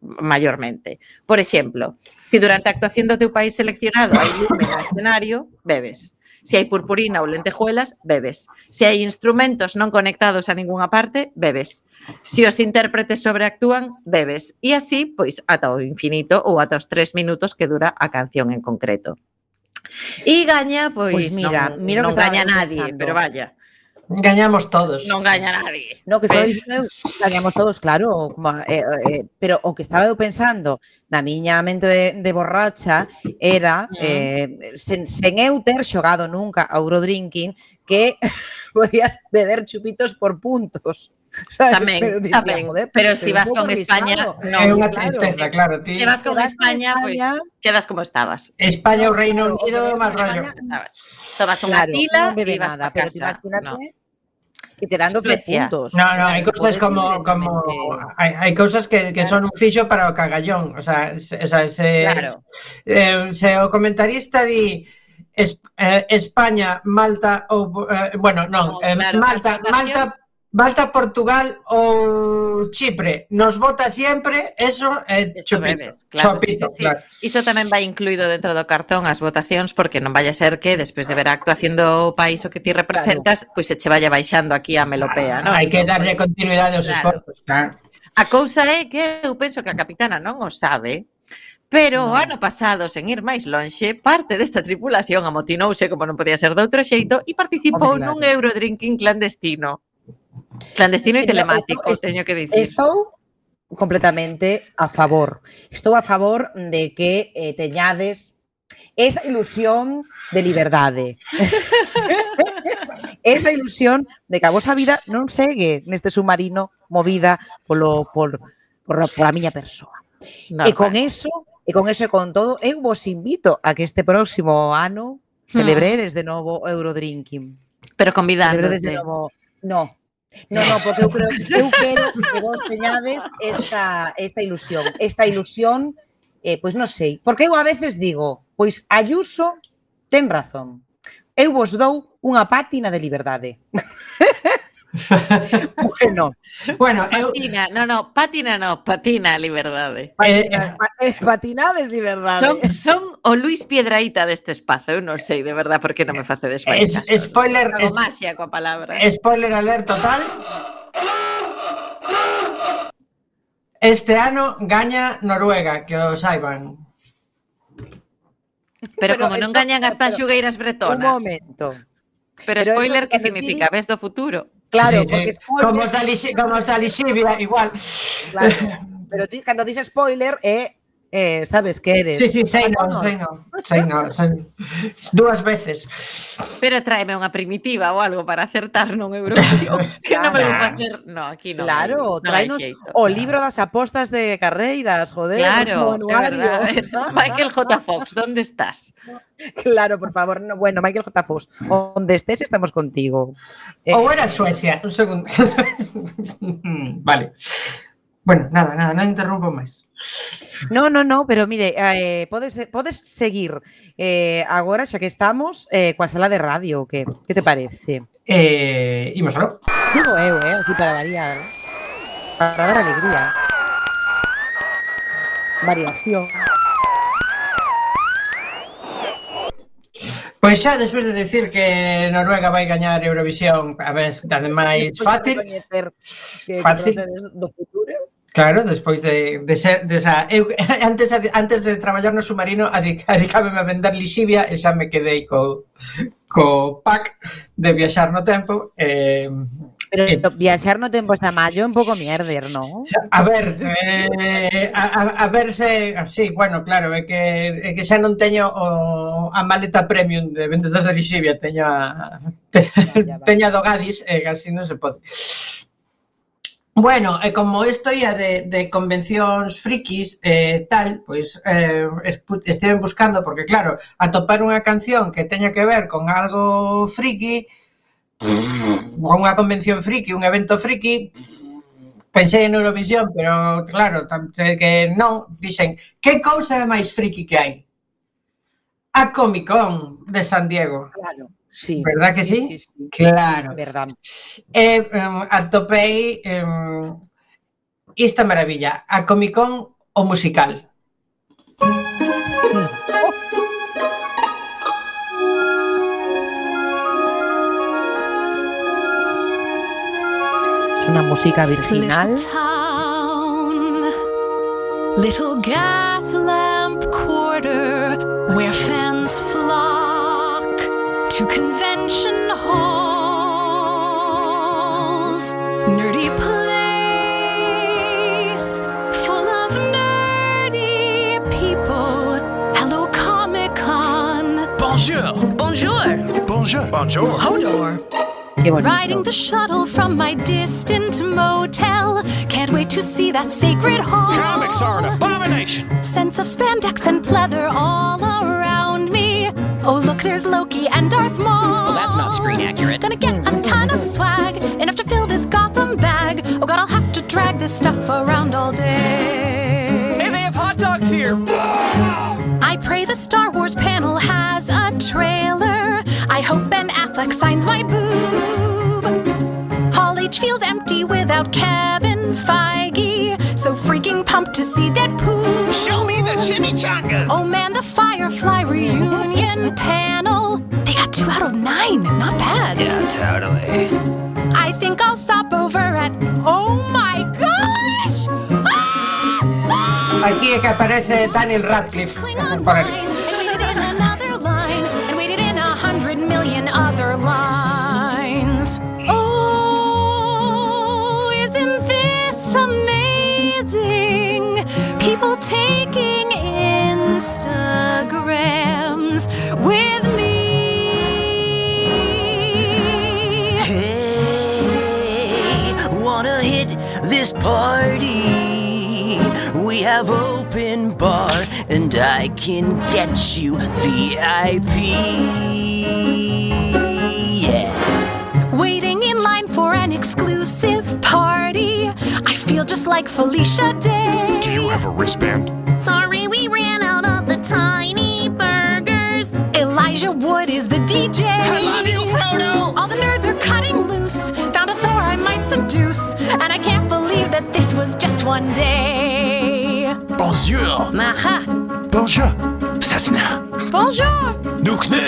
maiormente. Por exemplo, se durante a actuación do teu país seleccionado hai lume no escenario, bebes. Se hai purpurina ou lentejuelas, bebes. Se hai instrumentos non conectados a ningunha parte, bebes. Se os intérpretes sobreactúan, bebes. E así, pois, ata o infinito ou ata os 3 minutos que dura a canción en concreto. E gaña, pois, Pois mira, non o que estaba gaña eu nadie, pensando. pero vaya, Gañamos todos. non gaña nadie. No, que estou dicindo, gañamos todos, claro, pero o que estaba eu pensando na miña mente de borracha era sen eu ter xogado nunca a Eurodrinking que podías beber chupitos por puntos. ¿Sabes? Tamén, pero se vas con España, É unha tristeza, claro. Se vas con España, pois quedas como estabas. España ou Reino Unido, máis rollo. Tomas unha tila non bebe e vas nada, pa pero casa. imagínate que te dan 12 Suecia. puntos. No, hai cousas como hai cousas que son un fixo para o cagallón, o sea, se o comentarista di España, Malta ou bueno, non, Malta, Portugal ou Chipre nos vota sempre, eso é chupito. Claro, chupito, sí. Iso tamén vai incluído dentro do cartón as votacións, porque non vai a ser que despois de ver a actuación do país o que ti representas, pois se che vaya baixando aquí a melopea, non? Hai que darlle continuidade aos esforzos, claro. A cousa é que eu penso que a capitana non o sabe, pero o ano pasado, sen ir máis lonxe, parte desta tripulación amotinouse, como non podía ser de outro xeito, e participou nun Eurodrinking clandestino. Clandestino e telemático, teño que dicir. Estou completamente a favor. Estou a favor de que teñades esa ilusión de liberdade. Esa ilusión de que a vosa vida non segue neste submarino movida pola miña persoa. E con eso e con todo, eu vos invito a que este próximo ano celebredes de novo Eurodrinking. Pero convidándote. Celebredes de novo. No, porque eu quero que vos teñades esta ilusión, pois non sei, porque eu a veces digo, pois Ayuso ten razón, eu vos dou unha pátina de liberdade. Patina a liberdade. Patinades liberdade. Son o Luis Piedraíta deste espazo, eu non sei, de verdad, por que non me facedes máis caso. Spoiler, magia coa palabra. Spoiler alert total. Este ano gaña Noruega, que o saiban. Pero como non gañan as tanxugueiras bretonas. Un momento. Pero spoiler, que significa? Ves do futuro? Claro, sí. Como os da Lixivia, igual. Claro, pero ti, cando dices spoiler, sabes que eres. Sí, sei non. Dúas veces. Pero tráeme unha primitiva ou algo para acertar nun Eurovisión. Que non me vou facer... No, aquí non. Claro, tráenos o libro das apostas de carreiras, joder. Claro, de verdad. Michael J. Fox, ¿dónde estás? Claro, por favor. No, bueno, Michael J. Fox, onde estés estamos contigo. Ou era Suecia, un segundo. Vale. Bueno, nada, non interrompo máis. No, pero mire, podes seguir agora, xa que estamos, coa sala de radio, que te parece? Imos aló. Digo eu, así para variar, para dar alegría. Variación. Pois xa, despois de decir que Noruega vai gañar Eurovisión, a ver, ademais fácil. Fácil. Do futuro. Claro, despois de ser eu antes de traballar no submarino adicábeme a vender lixivia e xa me quedei co pack de viaxar no tempo. Pero viaxar no tempo está mallo un pouco mierder, non? A ver se... Sí, bueno, claro, é que xa non teño a maleta premium de vendedor de lixivia, teño a do Gadis, e así non se pode. Bueno, como isto ia de convencións frikis tal, pois estiven buscando, porque claro, atopar unha canción que teña que ver con algo friki, unha convención friki, un evento friki, pensei en Eurovisión, pero claro, que non, dixen, que cousa é máis friki que hai? A Comic Con de San Diego. Claro. Sí, verdad que sí? Claro. Verdad. Atopei esta maravilla, a Comic Con o musical. Es una música virginal. Little gas lamp quarter where fans flock to convention halls. Nerdy place full of nerdy people. Hello, Comic-Con. Bonjour. Bonjour. Bonjour. Bonjour. Hodor. Riding the shuttle from my distant motel. Can't wait to see that sacred hall. Comics are an abomination. Sense of spandex and pleather all around me. Oh, look, there's Loki and Darth Maul. Well, that's not screen accurate. Gonna get a ton of swag, enough to fill this Gotham bag. Oh God, I'll have to drag this stuff around all day. Hey, they have hot dogs here. I pray the Star Wars panel has a trailer. I hope Ben Affleck signs my boob. Hall H feels empty without Kevin Feige. So freaking pumped to see Deadpool. Show me the chimichangas. Oh man, the Firefly reunion panel. They got 2 out of 9. Not bad. Yeah, totally. I think I'll stop over at... Oh my gosh! Aquí es que aparece Daniel Radcliffe. Por ahí. And waited in 100 million other lines. Oh, isn't this amazing? People taking Instagrams with me. Hey, wanna hit this party? We have open bar and I can get you VIP. Yeah. Waiting in line for an exclusive party. I feel just like Felicia Day. Do you have a wristband? Sorry, we ran out of the tiny burgers. Elijah Wood is the DJ. I love you, Frodo. All the nerds are cutting loose. Found a Thor I might seduce. And I can't believe that this was just one day. Bonjour. Maha. Bonjour. Cessna. Bonjour. Nukne.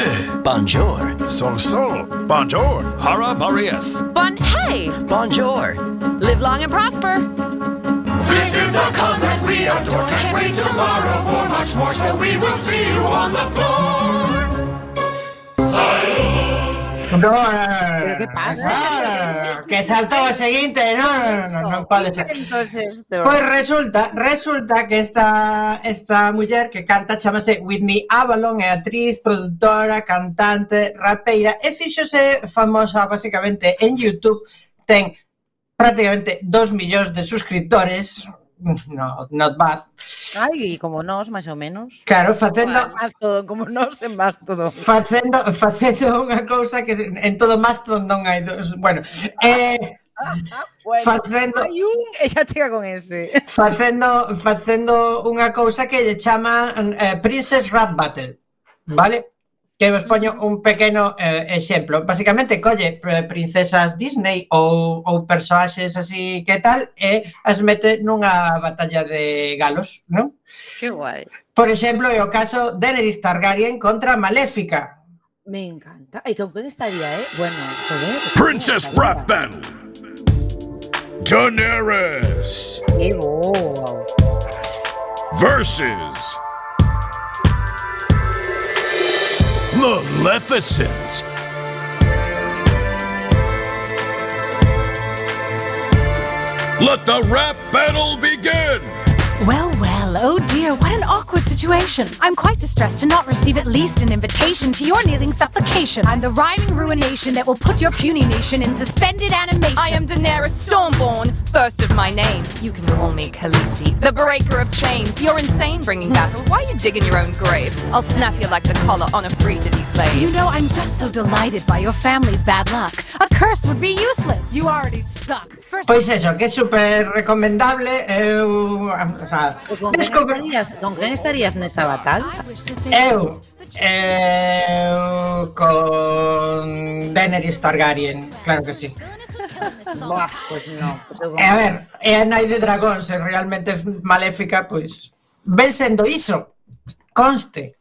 Bonjour. Sol Sol. Bonjour. Hara Marias. Bon hey. Bonjour. Live long and prosper. This is the con that we adore. Can't wait tomorrow for much more. So we will see you on the floor. ¿Pero qué pasa? Que saltó o seguinte, non pode ser. Pois resulta que esta muller que canta chamase Whitney Avalon, é actriz, produtora, cantante, rapeira e fíxose famosa basicamente en YouTube. Ten prácticamente 2 millóns de suscriptores. No, not bad. Ai, como nós, máis ou menos. Claro, facendo como nós en Mastodon. Facendo unha cousa que en todo Mastodon non hai dos. Bueno, facendo hai un e xa chega con ese. Facendo unha cousa que lle chaman Princess Rap Battle, vale? Que vos poño un pequeno exemplo. Basicamente, colle princesas Disney ou personaxes así que tal e as mete nunha batalla de galos, non? Que guai. Por exemplo, é o caso Daenerys Targaryen contra Maléfica. Me encanta. Ai, con quen estaría, Bueno, joder. Princess Rap Battle. Daenerys. Que bo. Versus Maleficent. Let the rap battle begin! Well, oh dear, what an awkward situation. I'm quite distressed to not receive at least an invitation to your kneeling supplication. I'm the rhyming ruination that will put your puny nation in suspended animation. I am Daenerys Stormborn, first of my name. You can call me Khaleesi, the breaker of chains. You're insane bringing battle. Why are you digging your own grave? I'll snap you like the collar on a free-to-be slave. You know, I'm just so delighted by your family's bad luck. A curse would be useless. You already suck. Pois eso, que é super recomendable. Con quen estarías nesa batalla? Eu con Daenerys Targaryen, claro que sí. Buah, pues no. A ver, é a nai de dragón, se realmente Maléfica, pois ven sendo iso, conste,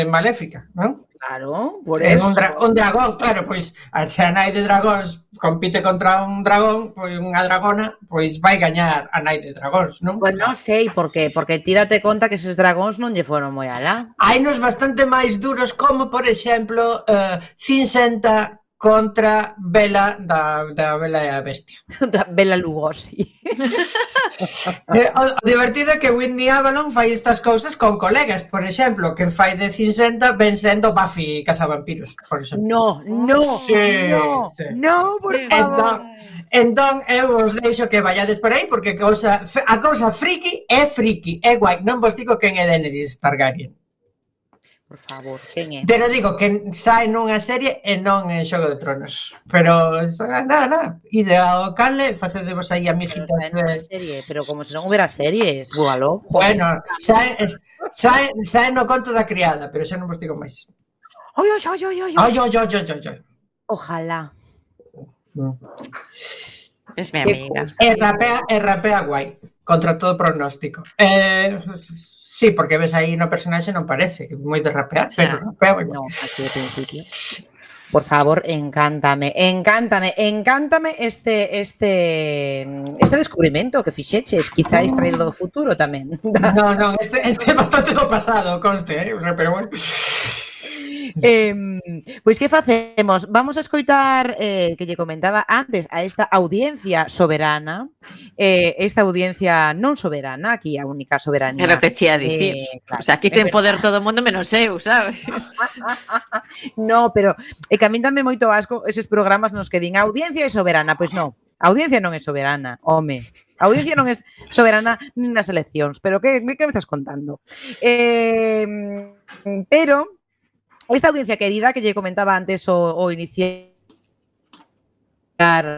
Maléfica, non? Claro, por É eso. un dragón, claro, pois a nai de dragóns compite contra un dragón, pois unha dragona, pois vai gañar a nai de dragóns, non? Pues non sei por qué, porque tírate conta que eses dragóns non lle foron moi alá. Hai nos bastante máis duros, como por exemplo Cincenta contra Bela da Bela e a Bestia. Contra Bela Lugosi. O divertido é que Whitney Avalon fai estas cousas con colegas, por exemplo, que fai de Cincenta ven sendo Buffy cazavampiros, por exemplo. No, Sí, no, sí. no, por favor. Entón, eu vos deixo que vayades por aí, porque a cousa friki, é guai. Non vos digo quen é Daenerys Targaryen. Por favor, quen é? Pero digo que sae nunha serie e non en Xogo de Tronos. Pero, nada. Ide ao cale, facedevos aí amijitas de... Serie, pero como se non hubiera series, búalo. Bueno, sae no conto da criada, pero xa non vos digo máis. Ai. Ojalá. Es mi amiga. E rapea guai, contra todo pronóstico. Sí, porque ves aí no personaxe non parece que moi de rapear, pero rapea moi guai. No, así de principio. Por favor, encántame este descubrimento que fixeches, quizáis traído do futuro tamén. Non, este é bastante do pasado, conste, pero bueno. Pois que facemos? Vamos a escoitar que lle comentaba antes a esta audiencia soberana, esta audiencia non soberana, aquí a única soberanía. Pero que che a dicir, claro, o sea, aquí ten poder todo o mundo menos eu, sabes? No, pero é que a min dame moito asco eses programas nos que din a audiencia é soberana, pois non. A audiencia non é soberana, home. A audiencia non é soberana nin nas eleccións, pero que me estás contando? Pero esta audiencia querida que lle comentaba antes o iniciar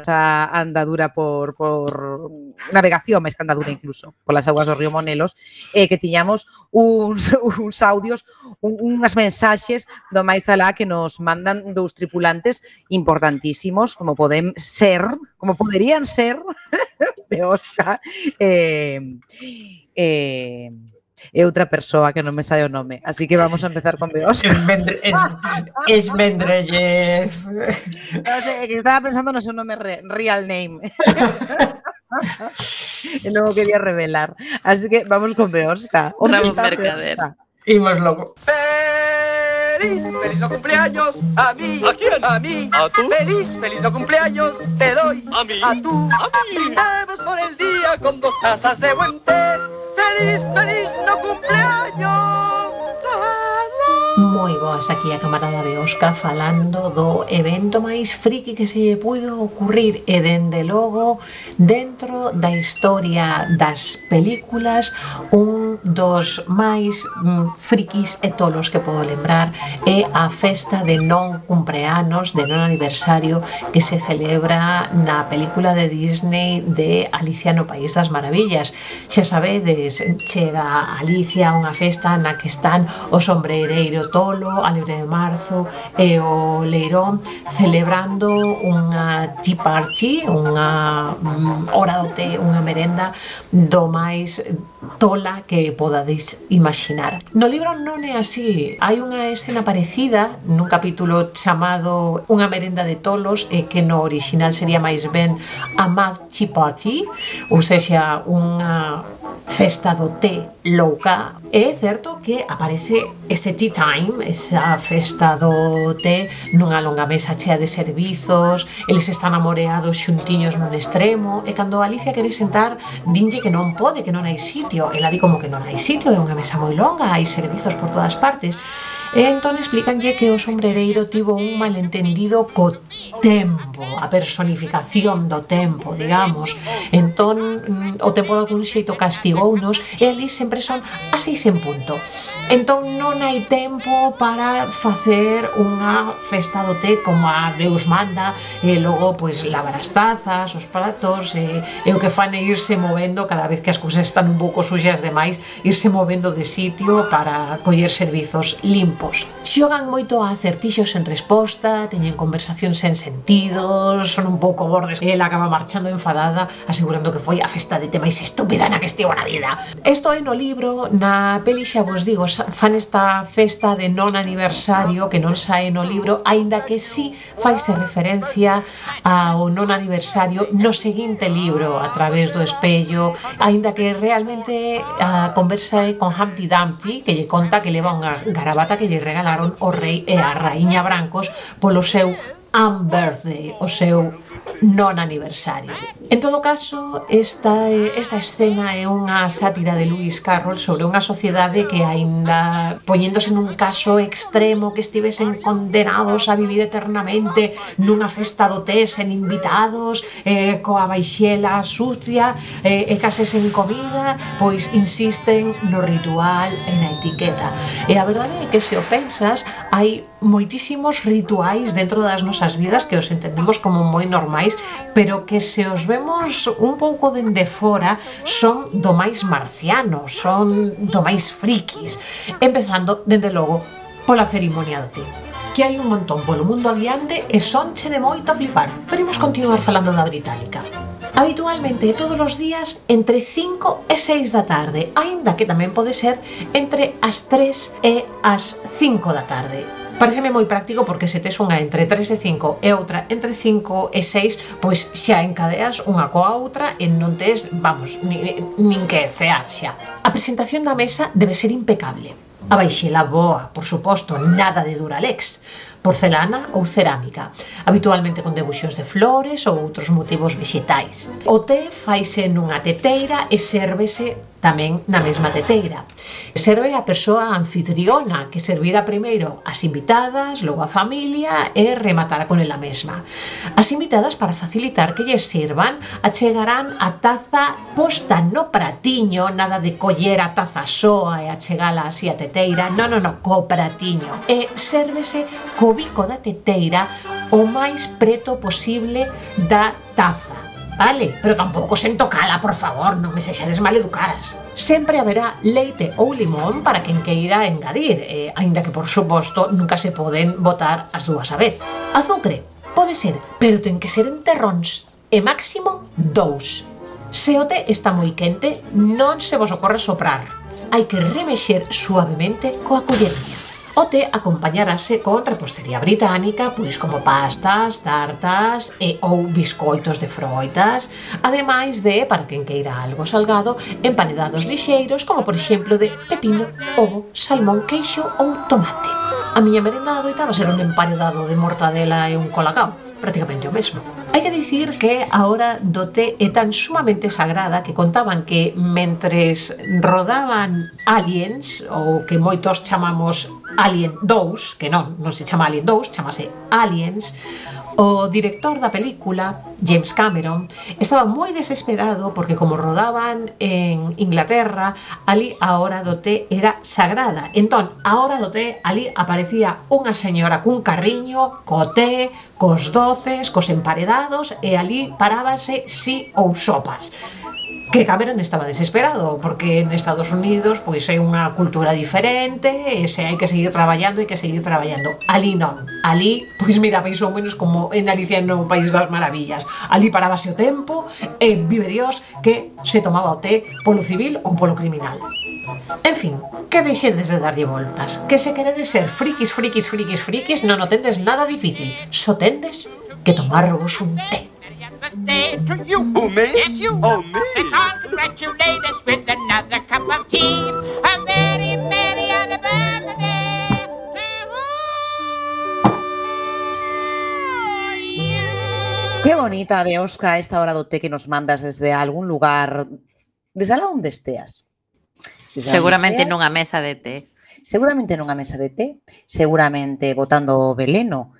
esa andadura por navegación, máis que andadura incluso, polas aguas do río Monelos, que tiñamos uns audios, unhas mensaxes do máis alá que nos mandan dous tripulantes importantísimos, como poderían ser Beosca e outra persoa que non me sai o nome. Así que vamos a empezar con Beosca. Esmendrellev. Non sei, que estaba pensando no seu nome real name. E non o quería revelar. Así que vamos con Beosca. Ramón Mercader. Imos logo. ¡Feliz no cumpleaños! ¡A mí! ¿A quién? ¡A mí! ¿A tú? ¡Feliz no cumpleaños! ¡Te doy! ¿A mí? ¡A tú! ¡A mí! ¡Brindemos por el día con 2 tazas de buen té! ¡Feliz no cumpleaños! Moi boas aquí a camarada Beosca falando do evento máis friki que se puido ocurrir e dende logo dentro da historia das películas un dos máis frikis e tolos que podo lembrar é a festa de non cumpleanos, de non aniversario que se celebra na película de Disney de Alicia no País das Maravillas. Xa sabedes, chega Alicia a unha festa na que están o sombrereiro tolo, a Libre de Marzo e o Leirón celebrando unha tea party, unha hora do té, unha merenda do máis tola que podades imaginar. No libro non é así. Hai unha escena parecida nun capítulo chamado Unha merenda de tolos e que no original sería máis ben a Mad Tea Party, ou sexa unha festa do té louca. É certo que aparece ese tea time, esa festa do té nunha longa mesa chea de servizos, eles están amoreados xuntiños nun extremo e cando Alicia quere sentar dinlle que non pode, que non hai sitio. Ela di como que non hai sitio, é unha mesa moi longa, hai servizos por todas partes. E entón explicanlle que o sombrereiro tivo un malentendido co tempo, a personificación do tempo, digamos. Entón o tempo de algún xeito castigounos e ali sempre son as 6 en punto. Entón non hai tempo para facer unha festa do té como a Deus manda e logo pois lavar as tazas, os pratos e o que fan é irse movendo cada vez que as cousas están un pouco suxas demais, irse movendo de sitio para coller servizos limpos. tempos. Xogan moito a acertixos en resposta, teñen conversacións sen sentidos, son un pouco bordes e ela acaba marchando enfadada asegurando que foi a festa de té máis estúpida na que estivo na vida. Isto é no libro, na peli xa vos digo, fan esta festa de non aniversario que non sae no libro, aínda que sí faise referencia ao non aniversario no seguinte libro, A través do espello, aínda que realmente a conversa é con Humpty Dumpty, que lle conta que leva unha garabata que lle regalaron o rei e a raíña brancos polo seu unbirthday, o seu non aniversario. En todo caso, esta escena é unha sátira de Lewis Carroll sobre unha sociedade que aínda poñéndose nun caso extremo que estivesen condenados a vivir eternamente nunha festa do té sen invitados, coa baixela sucia e case sen comida, pois insisten no ritual e na etiqueta. E a verdade é que se o pensas, hai moitísimos rituais dentro das nosas vidas que os entendemos como moi normais, pero que se os vemos un pouco dende fora son do máis marciano, son do máis frikis, empezando, dende logo, pola cerimonia do té, que hai un montón polo mundo adiante e sonche de moito a flipar, pero imos continuar falando da británica. Habitualmente todos os días entre 5 e 6 da tarde, aínda que tamén pode ser entre as 3 e as 5 da tarde. Pareceme moi práctico porque se tes unha entre 3 e 5 e outra entre 5 e 6, pois xa encadeas unha coa outra e non tes, vamos, nin que cear xa. A presentación da mesa debe ser impecable. A baixela boa, por suposto, nada de Duralex, porcelana ou cerámica, habitualmente con debuxos de flores ou outros motivos vexetais. O té faise nunha teteira e sérvese tamén na mesma teteira. Serve a persoa anfitriona que servirá primeiro as invitadas, logo a familia e rematará con ela mesma. As invitadas, para facilitar que lles sirvan, achegarán a taza posta no pratiño, nada de coller a taza soa e achegala así a teteira, non, co pratiño. E sérvese co bico da teteira o máis preto posible da taza. Vale, pero tampouco sen tocala, por favor, non me sexades maleducadas. Sempre haberá leite ou limón para quen queira engadir, aínda que, por suposto, nunca se poden botar as dúas a vez. Azucre, pode ser, pero ten que ser en terróns, e máximo 2. Se o té está moi quente, non se vos ocorre soprar. Hai que remexer suavemente coa colleriña. O té acompañarase con repostería británica, pois como pastas, tartas e ou biscoitos de froitas, ademais de, para quen queira algo salgado, emparedados lixeiros, como por exemplo de pepino, ovo, salmón, queixo ou tomate. A miña merenda adoitaba ser un emparedado de mortadela e un colacao, prácticamente o mesmo. Hai que dicir que a hora do té é tan sumamente sagrada que contaban que mentres rodaban Aliens, ou que moitos chamamos Alien 2, que non se chama Alien 2, chamase Aliens, o director da película, James Cameron, estaba moi desesperado porque como rodaban en Inglaterra, ali a hora do té era sagrada. Entón, a hora do té, ali aparecía unha señora cun carriño, co té, cos doces, cos emparedados, e ali parábase si ou sopas. Que Cameron estaba desesperado, porque en Estados Unidos pois é unha cultura diferente e se hai que seguir traballando, hai que seguir traballando. Ali non. Ali, pois mira, máis ou menos como en Alicia no País das Maravillas. Ali parábase o tempo e vive Dios que se tomaba o té polo civil ou polo criminal. En fin, que deixedes de darlle voltas. Que se queredes ser frikis, non o tendes nada difícil. Só tendes que tomarvos un té. To you. Oh, me? Yes, you. Oh, me? Let's all congratulate us with another cup of tea. A very, very happy birthday to you. Qué bonita, Beosca, esta hora do té que nos mandas desde algún lugar, desde alá onde esteas. Seguramente nunha mesa de té. Seguramente nunha mesa de té, seguramente botando veleno,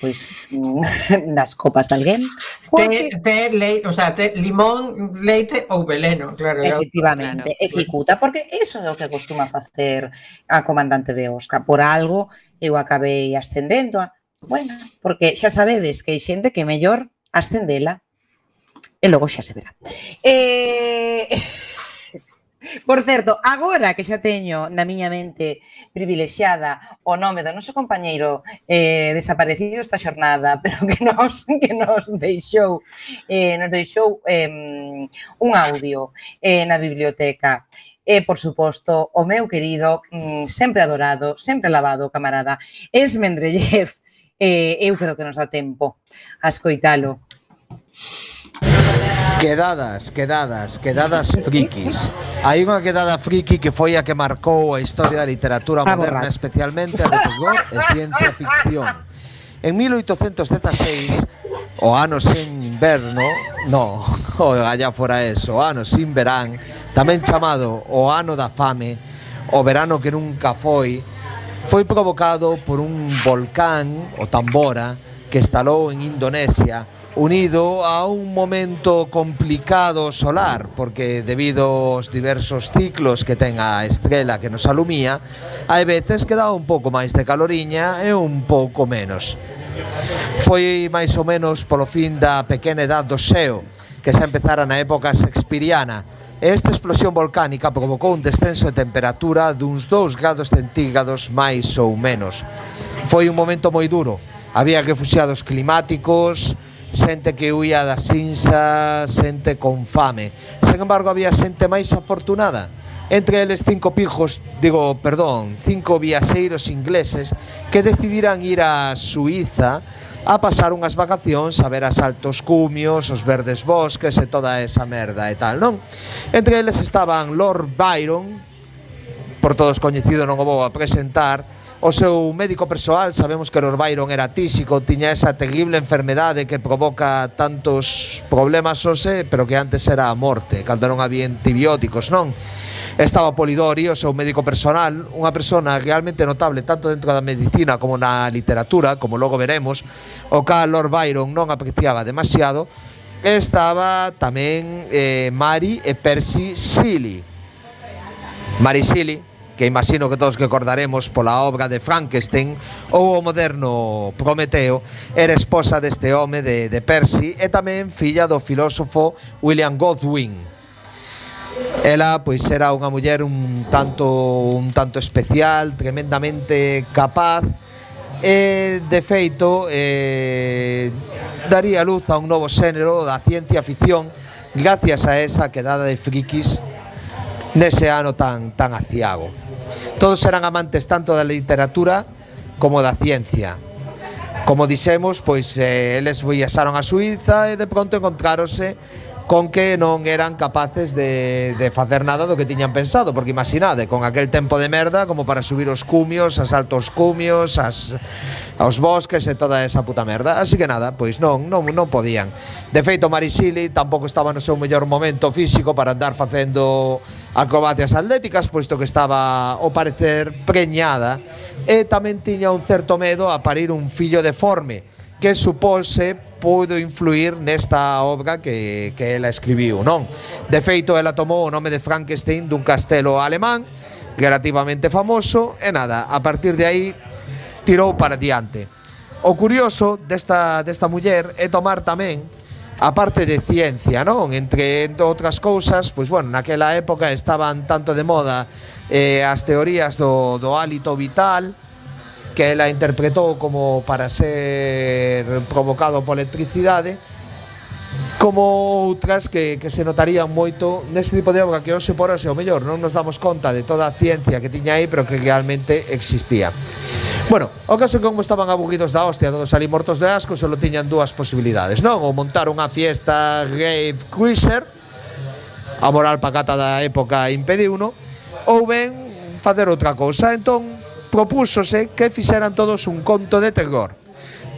pois nas copas de alguén. Té, leite, o sea, té, limón, leite ou veleno, claro. Efectivamente, claro. E ficuta, porque iso é o que acostuma facer a comandante Beosca. Por algo eu acabei ascendendo a... Bueno, porque xa sabedes que hai xente que é mellor ascendela e logo xa se verá. Por certo, agora que xa teño na miña mente privilexiada o nome do noso compañeiro desaparecido esta xornada, pero que nos deixou un audio na biblioteca. E, por suposto, o meu querido, sempre adorado, sempre alabado camarada Esmendrellev. Eu creo que nos dá tempo a escoitalo. Quedadas frikis. Hai unha quedada friki que foi a que marcou a historia da literatura moderna, especialmente a de terror e ciencia ficción. En 1816, o ano sen inverno, allá fora eso, o ano sin verán, tamén chamado o ano da fame, o verano que nunca foi provocado por un volcán, o Tambora, que estalou en Indonesia, unido a un momento complicado solar, porque debido aos diversos ciclos que ten a estrela que nos alumía, hai veces que dá un pouco máis de caloriña e un pouco menos. Foi máis ou menos polo fin da pequena edad do xeo, que xa empezara na época shakespeariana. Esta explosión volcánica provocou un descenso de temperatura duns 2 grados centígrados máis ou menos. Foi un momento moi duro. Había refuxiados climáticos, xente que huía das insas, xente con fame. Sen embargo, había xente máis afortunada. Entre eles 5 viaxeiros ingleses que decidiran ir a Suíza a pasar unhas vacacións a ver as altos cumios, os verdes bosques e toda esa merda e tal, non? Entre eles estaban Lord Byron, por todos coñecido, non o vou a presentar, o seu médico persoal. Sabemos que Lord Byron era tísico, tiña esa terrible enfermedade que provoca tantos problemas hoxe, pero que antes era a morte, cando non había antibióticos, non? Estaba Polidori, o seu médico personal, unha persona realmente notable tanto dentro da medicina como na literatura, como logo veremos, o cal Lord Byron non apreciaba demasiado. Estaba tamén Mary e Percy Shelley. Mary Shelley, que imagino que todos recordaremos pola obra de Frankenstein ou o moderno Prometeo, era esposa deste home de Percy e tamén filla do filósofo William Godwin. Ela, pois, era unha muller un tanto especial, tremendamente capaz e, de feito, daría luz a un novo xénero da ciencia ficción gracias a esa quedada de frikis nese ano tan aciago. Todos eran amantes tanto da literatura como da ciencia. Como dixemos, pois eles viaxaron a Suíza e de pronto encontráronse con que non eran capaces de facer nada do que tiñan pensado, porque imaginade, con aquel tempo de merda como para subir os cumios, as altos cumios, aos bosques e toda esa puta merda. Así que nada, pois non podían. De feito, Mary Shelley tampouco estaba no seu mellor momento físico para andar facendo acrobacias atléticas, posto que estaba, ao parecer, preñada, e tamén tiña un certo medo a parir un fillo deforme, que supose pudo influir nesta obra que ela escribiu, non? De feito, ela tomou o nome de Frankenstein dun castelo alemán relativamente famoso e nada, a partir de aí tirou para diante. O curioso desta muller é tomar tamén a parte de ciencia, non? Entre outras cousas, pois bueno, naquela época estaban tanto de moda as teorías do hálito vital, que ela interpretou como para ser provocado por electricidade, como outras que se notarían moito nese tipo de obra que hoxe por hoxe, o mellor, non nos damos conta de toda a ciencia que tiña aí, pero que realmente existía. Bueno, o caso que como estaban aburridos da hostia, todos ali mortos de asco, solo tiñan dúas posibilidades, non? Ou montar unha fiesta rave cruiser, a moral pacata da época impediuno, ou ben facer outra cousa. Entón, propúsose que fixeran todos un conto de terror.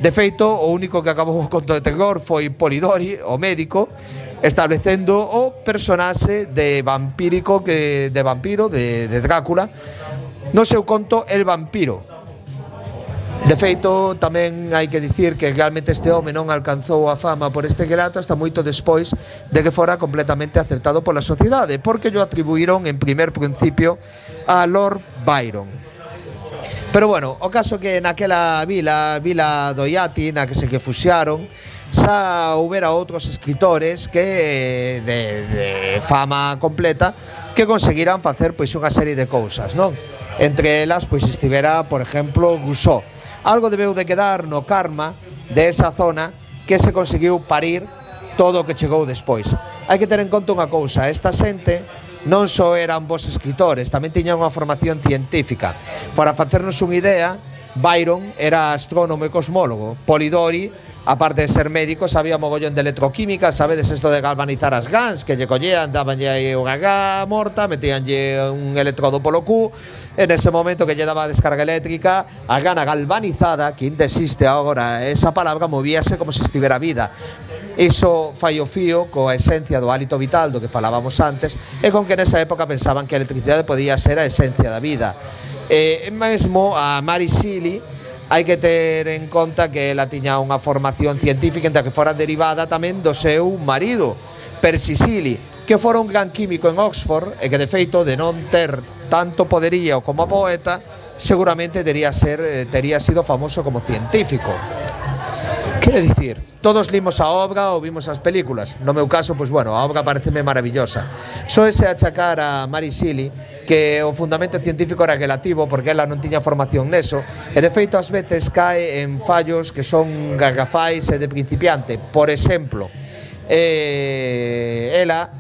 De feito, o único que acabou o conto de terror foi Polidori, o médico, establecendo o personaxe de vampiro de Drácula, no seu conto El Vampiro. De feito, tamén hai que dicir que realmente este home non alcanzou a fama por este relato hasta moito despois de que fora completamente aceptado pola sociedade, porque lo atribuíron en primer principio a Lord Byron. Pero bueno, o caso que naquela vila do Iati, na que se fuxiaron, xa houbera outros escritores que de fama completa que conseguirán facer pois unha serie de cousas, non? Entre elas pois estivera, por exemplo, Rousseau. Algo debeu de quedar no karma de esa zona que se conseguiu parir todo o que chegou despois. Hai que ter en conta unha cousa, esta xente non só eran bons escritores, tamén tiñan unha formación científica. Para facernos unha idea, Byron era astrónomo e cosmólogo. Polidori, aparte de ser médico, sabía mogollón de electroquímica. Sabedes isto de galvanizar as gans, que lle collían, dabanlle aí unha gá morta, metíanlle un electrodo polo cu, en ese momento que lle daba a descarga eléctrica, a gana galvanizada, que ainda existe agora esa palabra, movíase como se estivera vida. Iso fai o fío coa esencia do hálito vital do que falábamos antes, e con que nesa época pensaban que a electricidade podía ser a esencia da vida. Mesmo a Mary Shelley hai que ter en conta que ela tiña unha formación científica, entre que fora derivada tamén do seu marido, Percy Shelley, que fora un gran químico en Oxford e que de feito de non ter tanto poderío como poeta, seguramente tería sido famoso como científico. Quere dicir, todos limos a obra ou vimos as películas. No meu caso, pois bueno, a obra pareceme maravillosa. Só ese achacar a Mary Shelley que o fundamento científico era relativo porque ela non tiña formación neso, e de feito ás veces cae en fallos que son garrafais e de principiante. Por exemplo, ela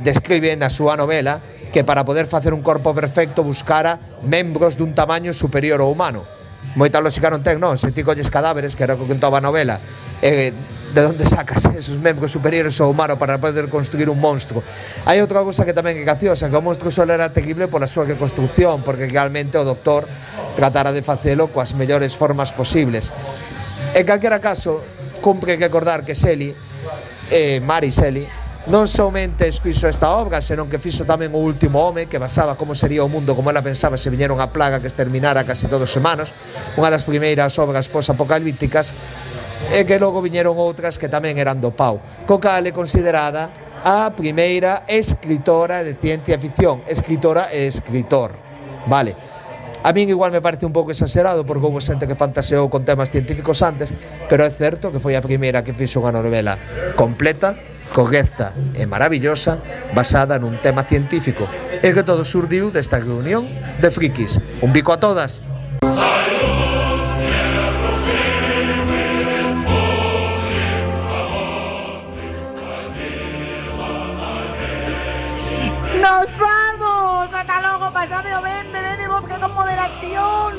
describe na súa novela que para poder facer un corpo perfecto buscara membros dun tamaño superior ao humano. Moita lógica non ten, non? Se ti colles cadáveres, que era o que contaba a novela, de onde sacas esos membros superiores ao humano para poder construir un monstro? Hai outra cousa que tamén é graciosa, que o monstro só era terrible pola súa reconstrucción, porque realmente o doctor tratara de facelo coas mellores formas posibles. En calquera caso, cumpre recordar que Shelley, Mary Shelley, non somente fixo esta obra, senón que fixo tamén O último home, que basaba como sería o mundo como ela pensaba se viñera unha plaga que exterminara casi todos os humanos, unha das primeiras obras post-apocalípticas, e que logo viñeron outras que tamén eran do pau, co cal é considerada a primeira escritora de ciencia ficción, escritora e escritor, vale? A min igual me parece un pouco exagerado porque houve xente que fantaseou con temas científicos antes, pero é certo que foi a primeira que fixo unha novela completa, correcta e maravillosa, basada nun tema científico, e que todo surdiu desta reunión de frikis. Un bico a todas. ¡Nos vamos! ¡Hasta logo! ¡Pasade o ben! ¡Bebede vodka con moderación!